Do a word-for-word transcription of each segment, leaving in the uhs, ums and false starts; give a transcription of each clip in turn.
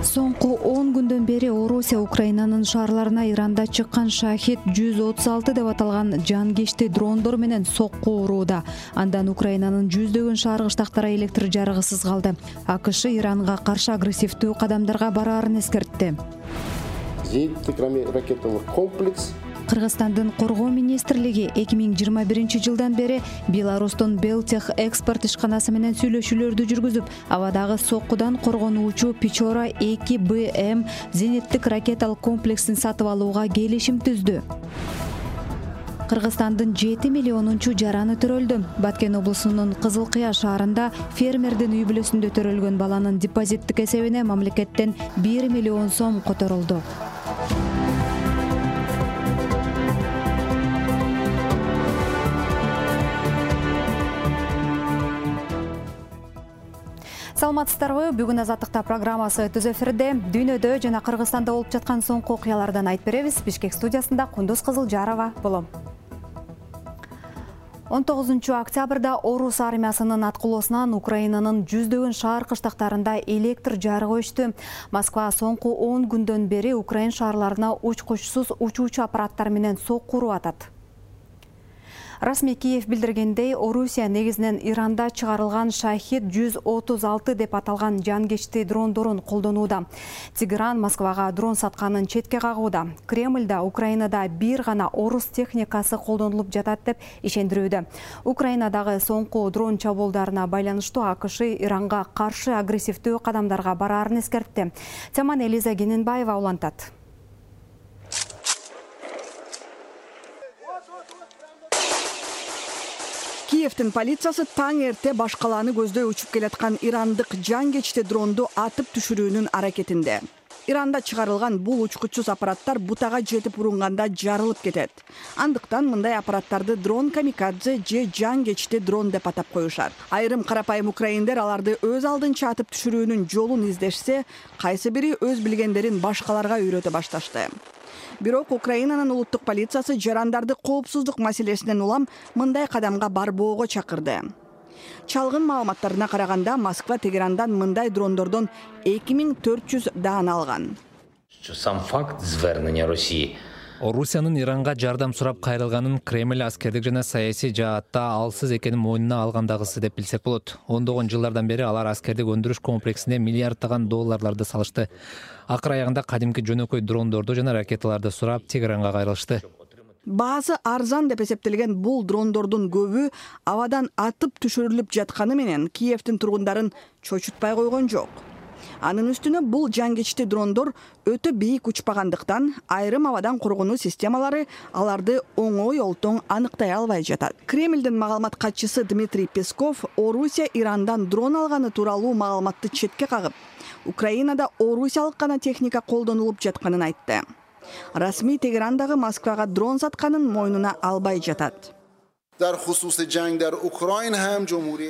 Соңку он күндөн бери Орусия Украинанын шаарларына Иранда чыккан Шахид жүз отуз алты деп аталган жангечти дрондор менен сокку урууда. Андан Украинанын жүздөгөн шаар кыштактары электр жарыгысыз калды. АКШ Иранга каршы агрессивдүү кадамдарга бараарын эскертти. Зениттик ракеталык комплекс Кыргызстандын коргоо министрлиги эки миң жыйырма биринчи жылдан бери Беларустун Белтех экспорт ишканасы менен сүйлөшүүлөрдү жүргүзүп, абадагы соккудан коргонуучу Печора эки Б М зениттик ракеталык комплексин сатып алууга келишим түздү. Кыргызстандын жети миллионунчу жараны төрөлдү. Баткен облусунун Кызыл Кыя шаарында фермердин үй бүлөсүндө төрөлгөн баланын депозиттик эсебине мамлекеттен бир миллион сом которулду. Саламатсыздарбы? Бүгүн Азаттыкта программасы түз эфирде. Дүйнөдө жана Кыргызстанда болуп жаткан соңку окуялардан айтып беребиз. Бишкек студиясында Кундуз Кызылжарова болом. он тогузунчу октябрда Орус армиясынын аткылоосунан Украинанын жүздөгөн шаар кыштактарында электр жарыгы өчтү. Москва соңку он күндөн бери Украин шаарларына учкучсуз учуучу аппараттар менен сокку уруп атат. Расмий Киев билдиргендей, Орусия негизинен Иранда чыгарылган Шахид жүз отуз алты деп аталган жангечти дрондорун колдонууда. Тегеран Москвага дрон сатканын четке кагууда. Кремльда Украинада бир гана орус техникасы колдонулуп жатат деп ишендирүүдө. Украинадагы соңку дрон чабуулдарына байланыштуу АКШ Иранга каршы агрессивдүү кадамдарга бараарын эскертти. Теман Элиза Гененбаева улантат. Киевтин полициясы таң эрте баш калааны көздөй учуп келаткан ирандык жангечти дронду атып түшүрүүнүн аракетинде. Иранда чыгарылган бул учкучсуз аппараттар бутага жетип урунганда жарылып кетет. Андыктан мындай аппараттарды дрон камикадзе же жангечти дрон деп атап коюшат. Айрым карапайым украиндер аларды өз алдынча атып түшүрүүнүн жолун издешсе, кайсы бири өз билгендерин башкаларга үйрөтө башташты. Бирок Украинанын улуттук полициясы жарандарды коопсуздук маселесинен улам мындай кадамга барбоого чакырды. Чалгын маалыматтарына караганда, Москва Тегерандан мындай дрондордон эки миң төрт жүз даана алган. Сам факт звернення Росії Орусиянын Иранга жардам сурап кайрылганын Кремль аскердик жана саясий жаатта алсыз экенин мойнуна алгандагысы деп билсек болот. Ондогон жылдардан бери алар аскердик өндүрүш комплексине миллиарддаган долларларды салышты. Акыр аягында кадимки жөнөкөй дрондорду жана ракеталарды сурап Тегеранга кайрылышты. Баасы арзан деп эсептелген бул дрондордун көбү абадан атып түшүрүлүп жатканы менен Киевтин тургундарын чочутпай койгон жок. Анын үстүнө бул жангечти дрондор өтө бийик учпагандыктан айрым абадан коргонуу системалары аларды оңой олтоң аныктай албай жатат. Кремлдин маалымат катчысы Дмитрий Песков Орусия Ирандан дрон алганы тууралуу маалыматты четке кагып, Украинада орусиялык гана техника колдонулуп жатканын айтты. Расмий Тегерандагы Москвага дрон сатканын мойнуна албай жатат.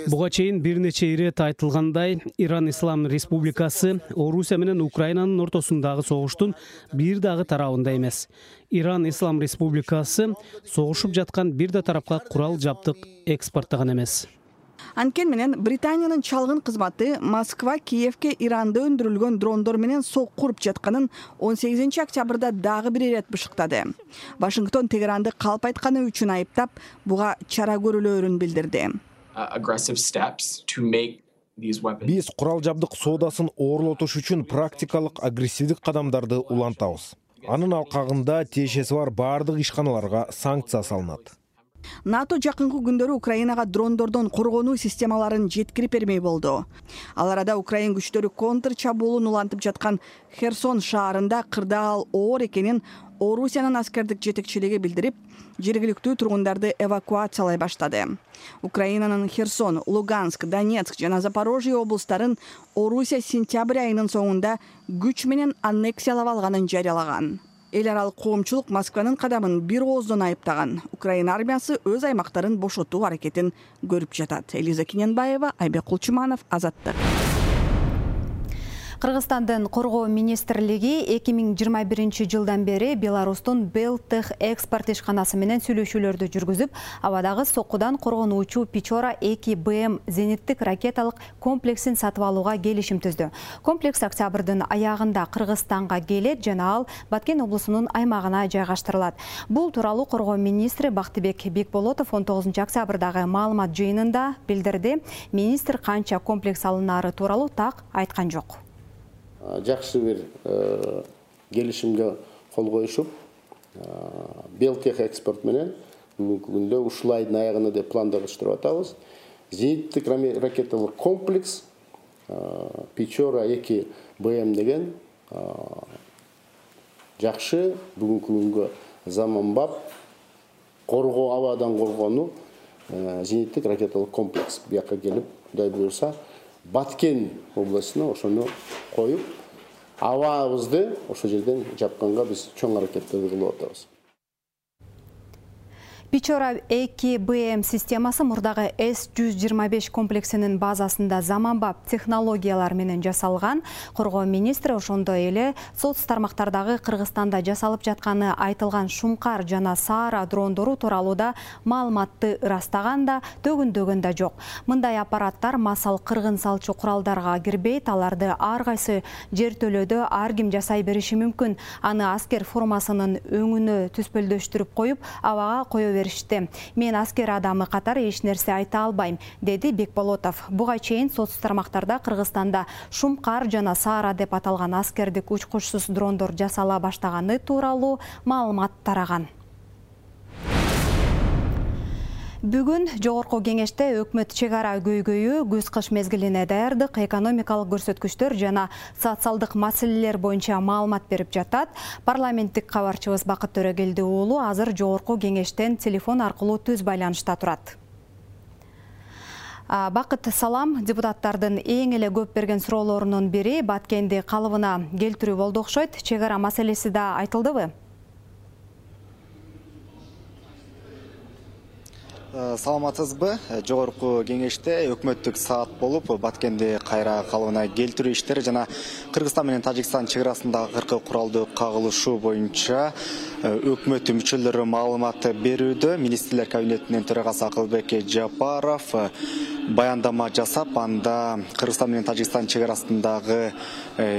Буга чейин бир нече ирет айтылгандай, Иран Ислам Республикасы Орусия менен Украинанын ортосундагы согуштун бир дагы тарабында эмес. Иран Ислам Республикасы согушуп жаткан бир да тарапка курал жабдык экспорттогон эмес. Анткени менен Британиянын чалгын кызматы Москва Киевке Иранда өндүрүлгөн дрондор менен сокку уруп жатканын он сегизинчи октябрда дагы бир ирет бышыктады. Вашингтон Тегеранды калп айтканы үчүн айыптап, буга чара көрүлөөрүн билдирди. Биз курал жабдык соодасын оорлотуш үчүн практикалык агрессивдик кадамдарды улантабыз. Анын алкагында тиешеси бар баардык ишканаларга санкция салынат. НАТО жакынкы күндөрү Украинага дрондордон коргонуу системаларын жеткирип бермей болду. Ал арада Украин күчтөрү контр чабуулун улантып жаткан Херсон шаарында кырдаал оор экенин Орусиянын аскердик жетекчилиги билдирип, жергиликтүү тургундарды эвакуациялай баштады. Украинанын Херсон, Луганск, Донецк жана Запорожье облустарын Орусия сентябрь айынын соңунда күч менен аннексиялап алганын жарыялаган. Эл аралык коомчулук Москванын кадамын бир ооздон айыптаган. Украина армиясы өз аймактарын бошотуу аракетин көрүп жатат. Элиза Гененбаева, Айбек Кулчуманов, Азаттык. Кыргызстандын коргоо министрлиги эки миң жыйырма биринчи жылдан бери Беларустун Белтех экспорт ишканасы менен сүйлөшүүлөрдү жүргүзүп, абадагы соккудан коргонуучу Печора эки Б М зениттик ракеталык комплексин сатып алууга келишим түздү. Комплекс октябрдын аягында Кыргызстанга келет жана ал Баткен облусунун аймагына жайгаштырылат. Бул тууралуу коргоо министри Бактыбек Бекболотов он тогузунчу октябрдагы маалымат жыйынында билдирди. Министр канча комплекс алынары тууралуу так айткан жок. Жакшы бир келишимге кол коюшуп, Белтех экспорт менен бүгүнкү күндө ушул айдын аягына деп пландашып атабыз. Зениттик ракеталык комплекс Печора эки Б М деген жакшы бүгүнкү күнгө заманбап коргоо, абадан коргонуу зениттик ракеталык комплекс бияка келип, Кудай буйрса, Баткен областына ошону коюп, абабызды ошол жерден жапканга биз чоң аракеттерди кылып атабыз. Печора эки Б М системасы мурдагы С жүз жыйырма беш комплексинин базасында заманбап технологиялар менен жасалган. Коргоо министри ошондой эле соц тармактардагы Кыргызстанда жасалып жатканы айтылган Шумкар жана Саара дрондору тууралуу да маалыматты ырастаган да, төгүндөгөн да жок. Мындай аппараттар масал кыргын салчу куралдарга кирбейт, аларды ар кайсы жертөлөдө ар ким жасай бериши мүмкүн. Аны аскер формасынын өңүнө түспөлдөштүрүп коюп, абага кое беришти. Мен аскер адамы катары эч нерсе айта албайм, деди Бекболотов. Буга чейин соц тармактарда Кыргызстанда Шумкар жана Саара деп аталган аскердик учкучсуз дрондор жасала баштаганы тууралуу маалымат тараган. Бүгүн жогорку кеңеште өкмөт чек ара көйгөйү, күз-кыш мезгилине даярдык, экономикалык көрсөткүчтөр жана социалдык маселелер боюнча маалымат берип жатат. Парламенттик кабарчыбыз Бакыт Төрөгелди уулу азыр жогорку кеңештен телефон аркылуу түз байланышта турат. Бакыт, салам. Депутаттардын эң эле көп берген суроолорунун бири Баткенди калыбына келтирүү болду окшойт. Чек ара маселеси да айтылдыбы? Саламатсызбы? Жогорку кеңеште өкмөттүк саат болуп, Баткенди кайра калыбына келтирүү иштери жана Кыргызстан менен Тажикстан чек арасындагы акыркы куралдуу кагылышуу боюнча өкмөт мүчөлөрү маалымат берүүдө. Министрлер кабинетинин төрагасы Акылбек Жапаров баяндама жасап, анда Кыргызстан менен Тажикстан чек арасындагы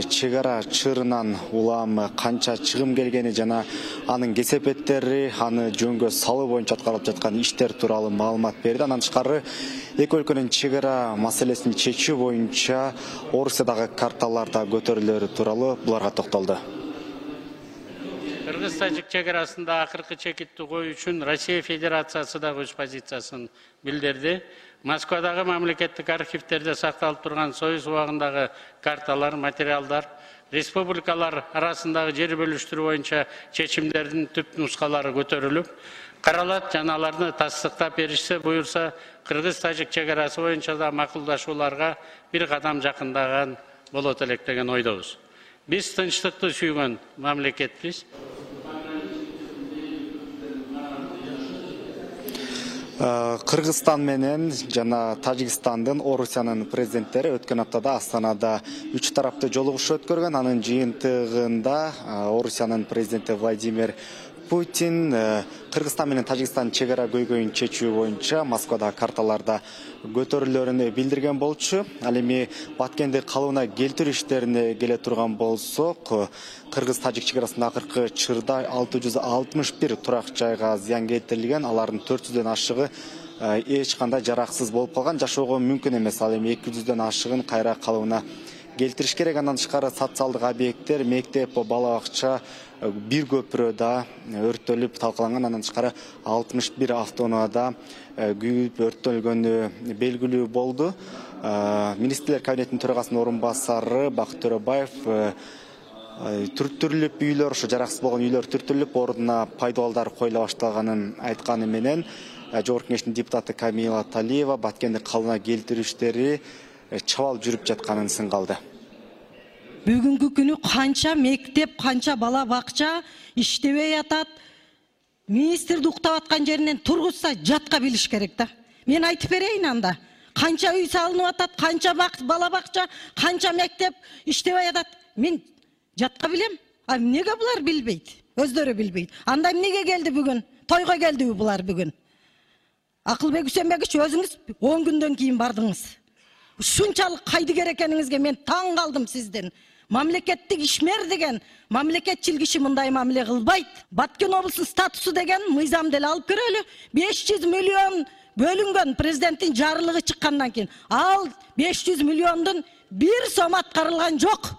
чек ара чырынан улам канча чыгым келгени жана анын кесепеттери, аны жөнгө салуу боюнча аткарылып жаткан иштер тууралуу маалымат берди. Андан тышкары эки өлкөнүн чек ара маселесин чечүү боюнча Орусиядагы карталарда көтөрүлөрү тууралуу буларга токтолду. Кыргыз-Тажик чек арасында акыркы чекитти коюу үчүн Россия Федерациясы да өз позициясын билдирди. Москвадагы мамлекеттик архивтерде сакталып турган Союз убагындагы карталар, материалдар, республикалар арасындагы жер бөлүштүрүү боюнча чечимдердин түп нускалары көтөрүлүп, каралат жана аларды тастыктап беришсе буюрса, Кыргыз-Тажик чек арасы боюнча да макулдашууларга бир кадам жакындаган болот элек деген ойдобуз. Биз тынчтыкты сүйгөн мамлекетпиз. Кыргызстан менен жана Тажикстандын, Орусиянын президенттери өткөн аптада Астанада үч тараптуу жолугушуу өткөргөн. Анын жыйынтыгында Орусиянын президенти Владимир Путин Кыргызстан менен Тажикстан чек ара көйгөйүн чечүү боюнча Москвадагы карталарда көтөрүлөрүн билдирген болчу. Ал эми Баткенди калыбына келтирүү иштерине келе турган болсок, Кыргыз-Тажик чек арасында акыркы чырда алты жүз алтымыш бир турак жайга зыян келтирилген. Алардын төрт жүздөн ашыгы эч кандай жараксыз болуп калган, жашоого мүмкүн эмес. Ал эми эки жүздөн ашыгын кайра калыбына келтириш керек. Андан тышкары социалдык объекттер, мектеп, бала бакча, бир көпүрө да өрттөлүп талкаланган. Андан тышкары алтымыш бир автоунаада күйүп өрттөлгөнү белгилүү болду. Министрлер кабинетинин төрагасынын орун басары Бакыт Төрөбаев түртүрүлүп үйлөр, ошо жараксыз болгон үйлөр түртүрүлүп, ордуна пайдалдар коюла баштаганын айтканы менен жогорку кеңештин депутаты Камила Талиева Баткенди калыбына келтирүү иштери чабал жүрүп жатканын сынгалды. Бүгүнкү күнү канча мектеп, канча бала бакча иштебей атат. Министрди уктап аткан жеринен тургузса жатка билиш керек да. Мен айтып берейин анда. канча үй салынып атат, канча бала бакча, канча мектеп иштебей атат. Мен жатка билем. А неге булар билбейт? Өздөрү билбейт. Анда эмнеге келди бүгүн? Тойго келдиби булар бүгүн? Акылбек Үсенбекович, өзүңүз он күндөн кийин бардыңыз. Ушунчалык кайдыгер экениңизге мен таң калдым сизден. Мамлекеттик ишмер деген, мамлекетчил киши мындай мамиле кылбайт. Баткен облусунун статусу деген мыйзам деле алып көрөлү. беш жүз миллион бөлүнгөн президенттин жарлыгы чыккандан кийин. Ал беш жүз миллиондун бир сом аткарылган жок.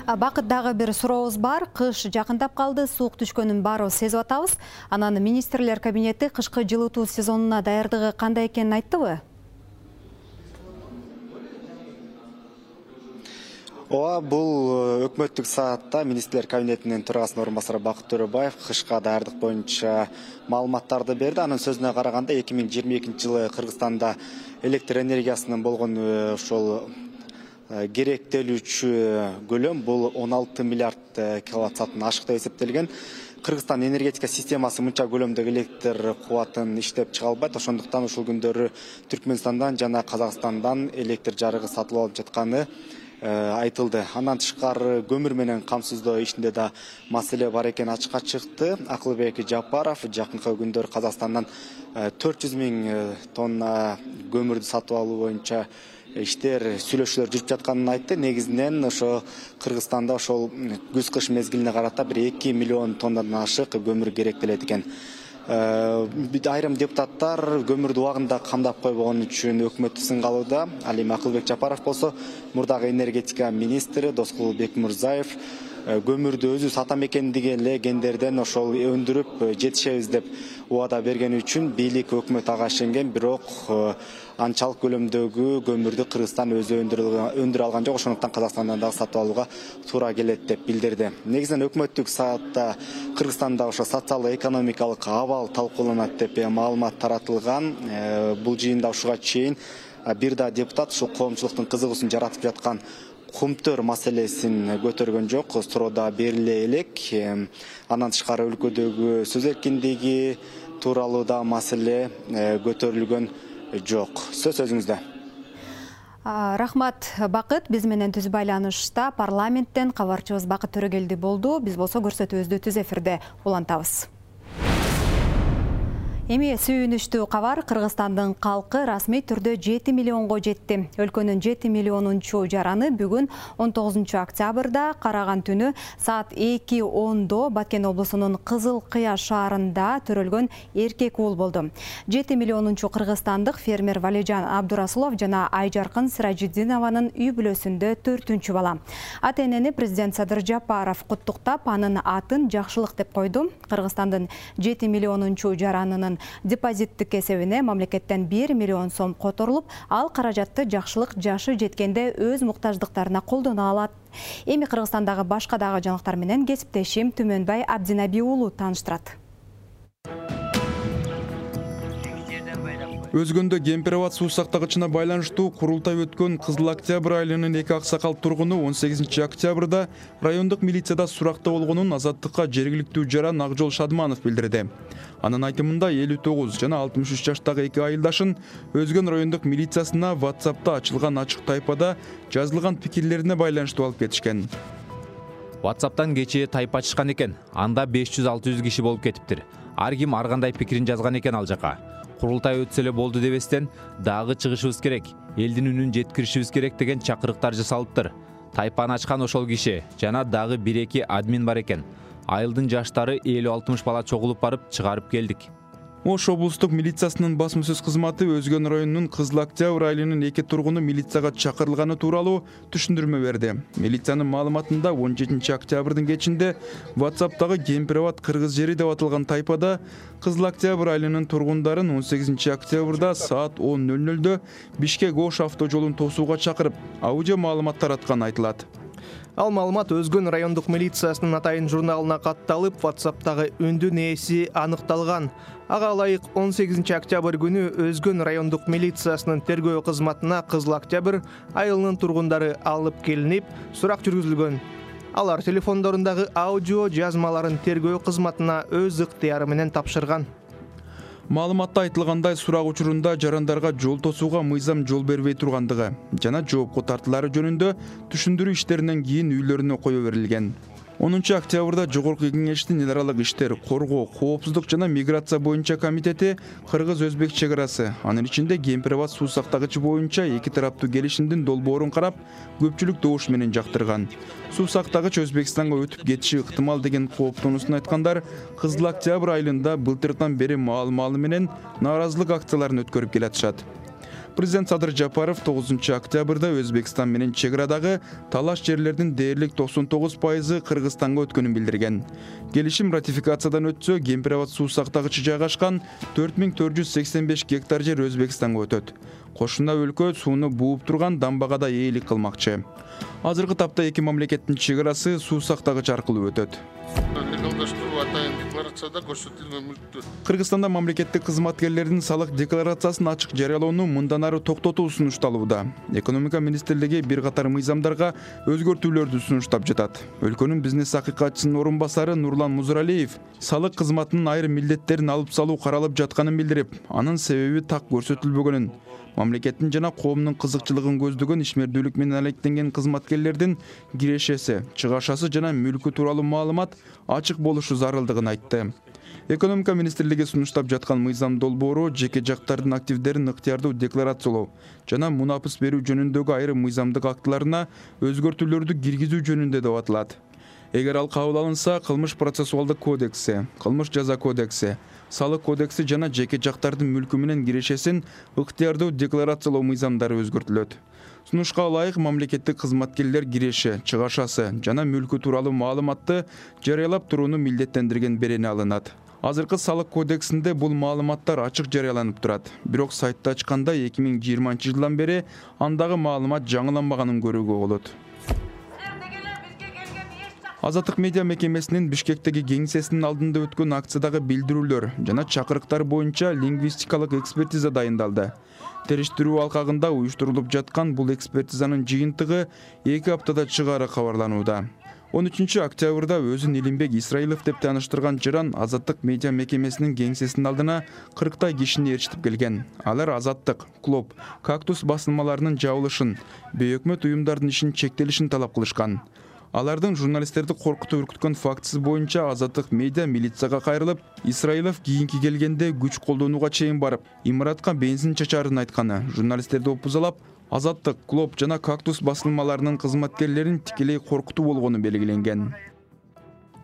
Бакыт дагы бир сурообуз бар. Кыш жакындап калды, суук түшкөнүн баарыбыз сезип атабыз. Анан министрлер кабинети кышкы жылытуу сезонуна даярдыгы кандай экенин айттыбы? Ооба, бул өкмөттүк саатта министрлер кабинетинин төрагасынын орун басары Бакыт Төрөбаев кышка даярдык боюнча маалыматтарды берди. Анын сөзүнө караганда эки миң жыйырма экинчи жылы Кыргызстанда электр энергиясынын болгон ошол керектелүүчү көлөм бул он алты миллиард киловатт сааттан ашык деп эсептелген. Кыргызстан энергетика системасы мынча көлөмдөгү электр кубатын иштеп чыга албайт. Ошондуктан ушул күндөрү Түркмөнстандан жана Казакстандан электр жарыгы сатылып алып жатканы айтылды. Андан тышкары көмүр менен камсыздоо ишинде да маселе бар экени ачыкка чыкты. Акылбек Жапаров жакынкы күндөр Казакстандан төрт жүз миң тонна көмүрдү сатып алуу боюнча иштер, сүйлөшүүлөр жүрүп жатканын айтты. Негизинен ошо Кыргызстанда ошол күз-кыш мезгилине карата бир эки миллион тоннадан ашык көмүр керектелет экен. Айрым депутаттар көмүрдү убагында камдап койбогон үчүн өкмөттү сынгалууда. Ал эми Акылбек Жапаров болсо мурдагы энергетика министри Доскул Бекмурзаев көмүрдү өзү сатам экендигендерден ошол өндүрүп жетишебиз деп убада бергени үчүн бийлик өкмөт ага ишенген, бирок анчалык көлөмдөгү көмүрдү Кыргызстан өзү өндүрө алган жок. Ошондуктан Казакстандан дагы сатып алууга туура келет деп билдирди. Негизинен өкмөттүк саатта Кыргызстанда ошо социалдык экономикалык абал талкууланат деп маалымат таратылган. Бул жыйында ушуга чейин бир да депутат ушул коомчулуктун кызыгуусун жаратып жаткан кумтөр маселесин көтөргөн жок, суроо бериле элек. Андан тышкары өлкөдөгү сөз эркиндиги тууралуу да маселе көтөрүлгөн жок. Сөз өзүңүздө. Рахмат, Бакыт. Биз менен түз байланышта парламенттен кабарчыбыз Бакыт Төрөгелди болду. Биз болсо көрсөтүүбүздү түз эфирде улантабыз. Эми сүйүнүчтүү кабар. Кыргызстандын калкы расмий түрдө жети миллионго жетти. Өлкөнүн жети миллионунчу жараны бүгүн он тогузунчу октябрда караган түнү саат эки ондо Баткен облусунун Кызыл Кыя шаарында төрөлгөн эркек уул болду. жети миллионунчу кыргызстандык фермер Валижан Абдурасулов жана Айжаркын Сиражидинованын үй бүлөсүндө төртүнчү бала. Ата-энени президент Садыр Жапаров куттуктап, анын атын Жакшылык деп койду. Кыргызстандын жети миллионунчу жаранынын депозиттик эсебине мамлекеттен бир миллион сом которулуп, ал каражатты Жакшылык жашы жеткенде өз муктаждыктарына колдоно алат. Эми Кыргызстандагы башка дагы жаңылыктар менен кесиптешим Түмөнбай Абдинаби уулу тааныштырат. Өзгөндө кемпир абад суу сактагычына байланыштуу курултай өткөн Кызыл Октябрь айылынын эки аксакал тургуну он сегизинчи октябрда райондук милицияда суракта болгонун Азаттыкка жергиликтүү жаран Акжол Шадманов билдирди. Анын айтымында элүү тогуз жана алтымыш үч жаштагы эки айылдашын Өзгөн райондук милициясына WhatsApp'та ачылган ачык тайпада жазылган пикирлерине байланыштуу алып кетишкен. WhatsApp'тан кечээ тайпа ачышкан экен. Анда беш жүз алты жүз киши болуп кетиптир. Ар ким ар кандай пикирин жазган экен ал жака. Курултай өтсө эле болду дебестен, дагы чыгышыбыз керек, элдин үнүн жеткиришибиз керек деген чакырыктар жасалыптыр. Тайпаны ачкан ошол киши жана дагы бир эки админ бар экен. Айылдын жаштары элүү алтымыш бала чогулуп барып чыгарып келдик. Ош облустук милициясынын басма-сөз кызматы Өзгөн районунун Кызыл Октябрь айылынын эки тургуну милицияга чакырылганы тууралуу түшүндүрмө берди. Милициянын маалыматында он жетинчи октябрдын кечинде WhatsApp'тагы кемпир абад кыргыз жери деп аталган тайпада Кызыл Октябрь айылынын тургундарын он сегизинчи октябрда саат он ноль нольдо Бишкек Ош автожолун тосууга чакырып, аудио маалымат таратканы айтылат. Ал маалымат Өзгөн райондук милициясынын атайын журналына катталып, WhatsApp'тагы үндүн ээси аныкталган. Ага ылайык он сегизинчи октябрь күнү Өзгөн райондук милициясынын тергөө кызматына Кызыл Октябрь айылынын тургундары алып келинип, сурак жүргүзүлгөн. Алар телефондорундагы аудио жазмаларын тергөө кызматына өз ыктыяры менен тапшырган. Маалыматта айтылгандай сурак учурунда жарандарга жол тосууга мыйзам жол бербей тургандыгы жана жоопко тартылары жөнүндө түшүндүрүү иштеринен кийин үйлөрүнө кое берилген. онунчу октябрда Жогорку Кеңештин эл аралык иштер, коргоо, коопсуздук жана миграция боюнча комитети кыргыз-өзбек чек арасы, анын ичинде Кемпир-Абад суу сактагычы боюнча эки тараптуу келишимдин долбоорун карап, көпчүлүк добуш менен жактырган. Суу сактагыч Өзбекстанга өтүп кетиши ыктымал деген кооптонуусун айткандар Кызыл Октябрь айылында былтырдан бери маал-маалы менен нааразылык акцияларын өткөрүп келатышат. Президент Садыр Жапаров тогузунчу октябрда Өзбекстан менен чек арадагы талаш жерлердин дээрлик токсон тогуз пайызы Кыргызстанга өткөнүн билдирген. Келишим ратификациядан өтсө, Кемпир-Абад суу сактагычы жайгашкан төрт миң төрт жүз сексен беш гектар жер Өзбекстанга өтөт. Кошуна өлкө сууну бууп турган дамбага да ээлик кылмакчы. Азыркы тапта эки мамлекеттин чек арасы суу сактагыч аркылуу өтөт. Кыргызстанда мамлекеттик кызматкерлердин салык декларациясын ачык жарыялоону мындан ары токтотуу сунушталууда. Экономика министрлиги бир катар мыйзамдарга өзгөртүүлөрдү сунуштап жатат. Өлкөнүн бизнес акыйкатчысынын орун басары Нурлан Музуралиев салык кызматынын айрым милдеттерин алып салуу каралып жатканын билдирип, анын себеби так көрсөтүлбөгөнүн, мамлекеттин жана коомдун кызыкчылыгын көздөгөн ишмердүүлүк менен алектенген кызматкерлердин кирешеси, чыгашасы жана мүлкү тууралуу маалымат ачык болушу зарылдыгын айтты. Экономика министрлиги сунуштап жаткан мыйзам долбоору жеке жактардын активдерин ыктыярдуу декларациялоо жана мунапыс берүү жөнүндөгү айрым мыйзамдык актыларына өзгөртүүлөрдү киргизүү жөнүндө деп аталат. Эгер ал кабыл алынса, кылмыш процессуалдык кодекси, кылмыш жаза кодекси, салык кодекси жана жеке жактардын мүлкү менен кирешесин ыктыярдуу декларациялоо мыйзамдары өзгөртүлөт. Сунушка ылайык мамлекеттик кызматкерлер киреше, чыгашасы жана мүлкү тууралуу маалыматты жарыялап турууну милдеттендирген берени алынат. Азыркы салык кодексинде бул маалыматтар ачык жарыяланып турат. Бирок сайтты ачканда эки миң жыйырманчы жылдан бери андагы маалымат жаңыланбаганын көрүүгө болот. Азаттык медиа мекемесинин Бишкектеги кеңсесинин алдында өткөн акциядагы билдирүүлөр жана чакырыктар боюнча лингвистикалык экспертиза дайындалды. Териштирүү алкагында уюштурулуп жаткан бул экспертизанын жыйынтыгы эки аптада чыгаары кабарланууда. он үчүнчү октябрда өзүн Илимбек Исраилов деп тааныштырган жыран Азаттык медиа мекемесинин кеңсесинин алдына кырктай кишини ээрчитип келген. Алар Азаттык, Клоп, Кактус басылмаларынын жабылышын, бейөкмөт уюмдардын ишин чектелишин талап кылышкан. Алардын журналисттерди коркутуп үркүткөн фактысы боюнча Азаттык медиа милицияга кайрылып, Исраилов кийинки келгенде күч колдонууга чейин барып, имаратка бензин чачарын айтканы, журналисттерди опузалап, Азаттык, Клоп жана Кактус басылмаларынын кызматкерлерин тикелей коркутуу болгону белгиленген.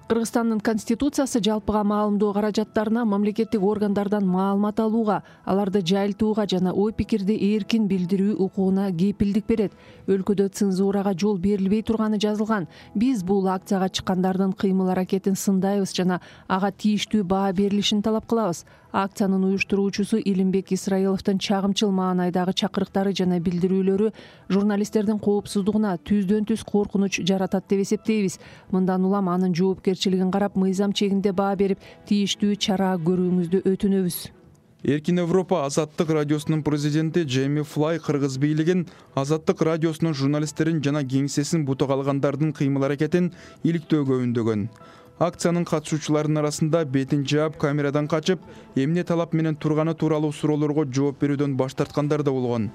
Кыргызстандын конституциясы жалпыга маалымдоо каражаттарына мамлекеттик органдардан маалымат алууга, аларды жайылтууга жана ой пикирди эркин билдирүү укугуна кепилдик берет. Өлкөдө цензурага жол берилбей турганы жазылган. Биз бул акцияга чыккандардын кыймыл аракетин сындайбыз жана ага тийиштүү баа берилишин талап кылабыз. Акциянын уюштуруучусу Илимбек Исраиловдун чагымчыл маанайдагы чакырыктары жана билдирүүлөрү журналисттердин коопсуздугуна түздөн түз коркунуч жаратат деп эсептейбиз. Мындан улам анын жоопкерчилигин карап, мыйзам чегинде баа берип, тийиштүү чара көрүүңүздү өтүнөбүз. Эркин Европа Азаттык радиосунун президенти Джейми Флай кыргыз бийлигин Азаттык радиосунун журналисттерин жана кеңсесин бутак алгандардын кыймыл аракетин иликтөөгө үндөгөн. Акциянын катышуучуларынын арасында бетин жаап, камерадан качып, эмне талап менен турганы тууралуу суроолорго жооп берүүдөн баш тарткандар да болгон.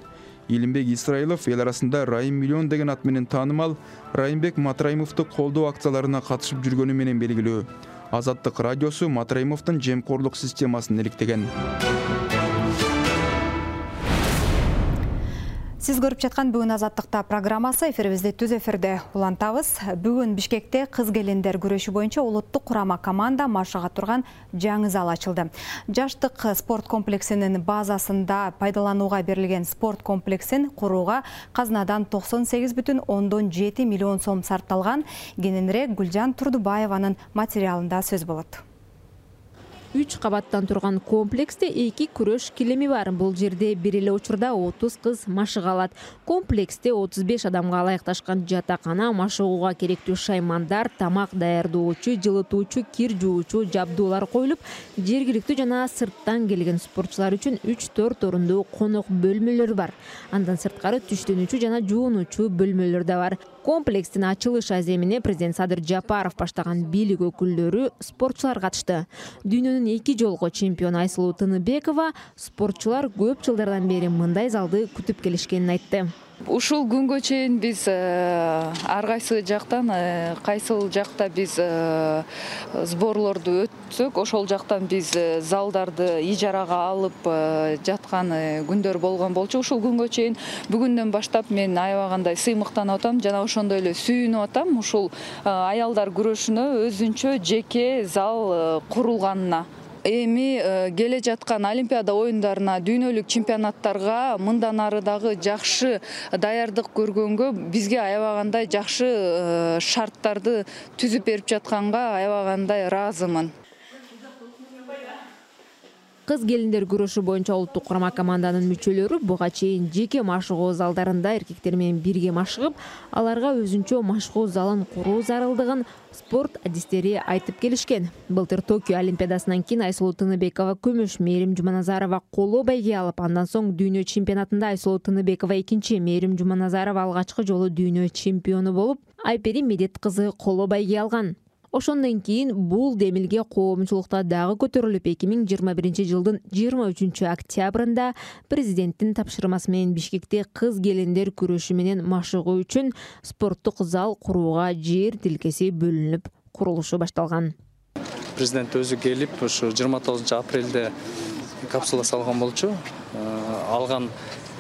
Илимбек Исраилов эл арасында Райым Миллион деген ат менен таанымал Райымбек Матраимовду колдоо акцияларына катышып жүргөнү менен белгилүү. Азаттык радиосу Матраимовдун жемкорлук системасын иликтеген. Сиз көрүп жаткан бүгүн Азаттыкта программасы, эфирибизди түз эфирде улантабыз. Бүгүн Бишкекте кыз келиндер күрөшү боюнча улуттук курама команда машыга турган жаңы зал ачылды. Жаштык спорт комплексинин базасында пайдаланууга берилген спорт комплексин курууга казынадан токсон сегиз бүтүн ондон жети миллион сом сарпталган. Кененирээк Гүлжан Турдубаеванын материалында сөз болот. үч кабаттан турган комплексте эки күрөш килеми бар. Бул жерде бир эле учурда отуз кыз машыга алат. Комплексте отуз беш адамга ылайыкташкан жатакана, машыгууга керектүү шаймандар, тамак даярдоочу, жылытуучу, кир жуучу жабдуулар коюлуп, жергиликтүү жана сырттан келген спортчулар үчүн үч төрт орундуу конок бөлмөлөр бар. Андан сырткары түштөнүүчү жана жуунуучу бөлмөлөр да бар. Комплекстин ачылыш аземине президент Садыр Жапаров баштаган бийлик өкүлдөрү, спортчулар катышты. Дүйнөнүн эки жолку чемпиону Айсулуу Тыныбекова спортчулар көп жылдардан бери мындай залды күтүп келишкенин айтты. Ушул күнгө чейин биз ар кайсы жактан, кайсыл жакта биз сборлорду өтсөк, ошол жактан биз залдарды ижарага алып жаткан күндөр болгон болчу. Ушул күнгө чейин бүгүндөн баштап мен аябагандай сыймыктанып атам жана ошондой эле сүйүнүп атам ушул аялдар күрөшүнө өзүнчө жеке зал курулганына. Эми келе жаткан Олимпиада оюндарына, дүйнөлүк чемпионаттарга мындан ары дагы жакшы даярдык көргөнгө, бизге аябагандай жакшы шарттарды түзүп берип жатканга аябагандай ыраазымын. Кыз келиндер күрөшү боюнча улуттук курама команданын мүчөлөрү буга чейин жеке машыгуу залдарында эркектер менен бирге машыгып, аларга өзүнчө машыгуу залын куруу зарылдыгын спорт адистери айтып келишкен. Былтыр Токио Олимпиадасынан кийин Айсулуу Тыныбекова күмүш, Мээрим Жуманазарова коло байге алып, андан соң дүйнө чемпионатында Айсулуу Тыныбекова экинчи, Мээрим Жуманазарова алгачкы жолу дүйнө чемпиону болуп, Айпери Медет кызы коло байге алган. Ошондон кийин бул демилге коомчулукта дагы көтөрүлүп, эки миң жыйырма биринчи жылдын жыйырма үчүнчү октябрында президенттин тапшырмасы менен Бишкекте кыз келиндер күрөшү менен машыгуу үчүн спорттук зал курууга жер тилкеси бөлүнүп, курулушу башталган. Президент өзү келип, ушу жыйырма тогузунчу апрелде капсула салган болчу. Алган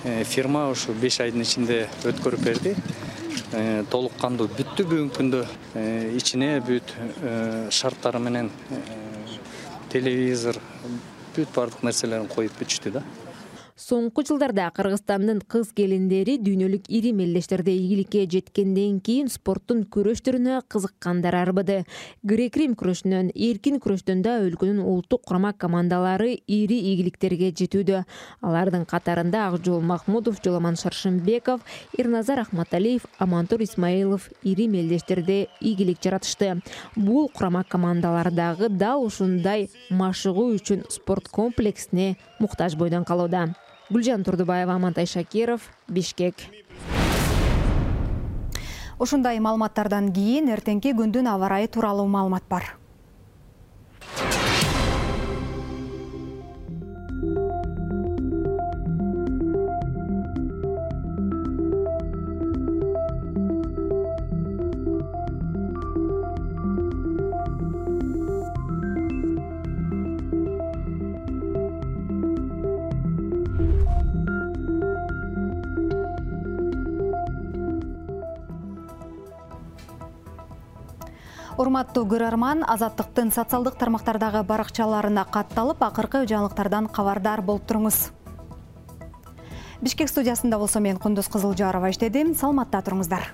фирма ушу беш айдын ичинде өткөрүп берди. Толук кандуу бүттү бүгүнкү күндө. Ичине бүт шарттары менен телевизор, бүт бардык нерселерин коюп бүтүштү да. Соңку жылдарда Кыргызстандын кыз келиндери дүйнөлүк ири мелдештерде ийгиликке жеткенден кийин спорттун күрөш түрүнө кызыккандар арбыды. Грек-рим күрөшүнөн, эркин күрөштөн да өлкөнүн улуттук курама командалары ири ийгиликтерге жетүүдө. Алардын катарында Акжол Махмудов, Жоламан Шаршымбеков, Ирназар Ахматалиев, Амантур Исмаилов ири мелдештерде ийгилик жаратышты. Бул курама командалар дагы дал ушундай машыгуу үчүн спорт комплексине муктаж бойдон калууда. Гүлжан Турдубаева, Амантай Шакиров, Бишкек. Ушундай маалыматтардан кийин эртеңки күндүн аба ырайы тууралуу маалымат бар. Урматтуу көрөрман, Азаттыктын социалдык тармактардагы баракчаларына катталып, акыркы жаңылыктардан кабардар болуп туруңуз. Бишкек студиясында болсо мен Кундуз Кызылжарова иштедим. Саламатта туруңуздар.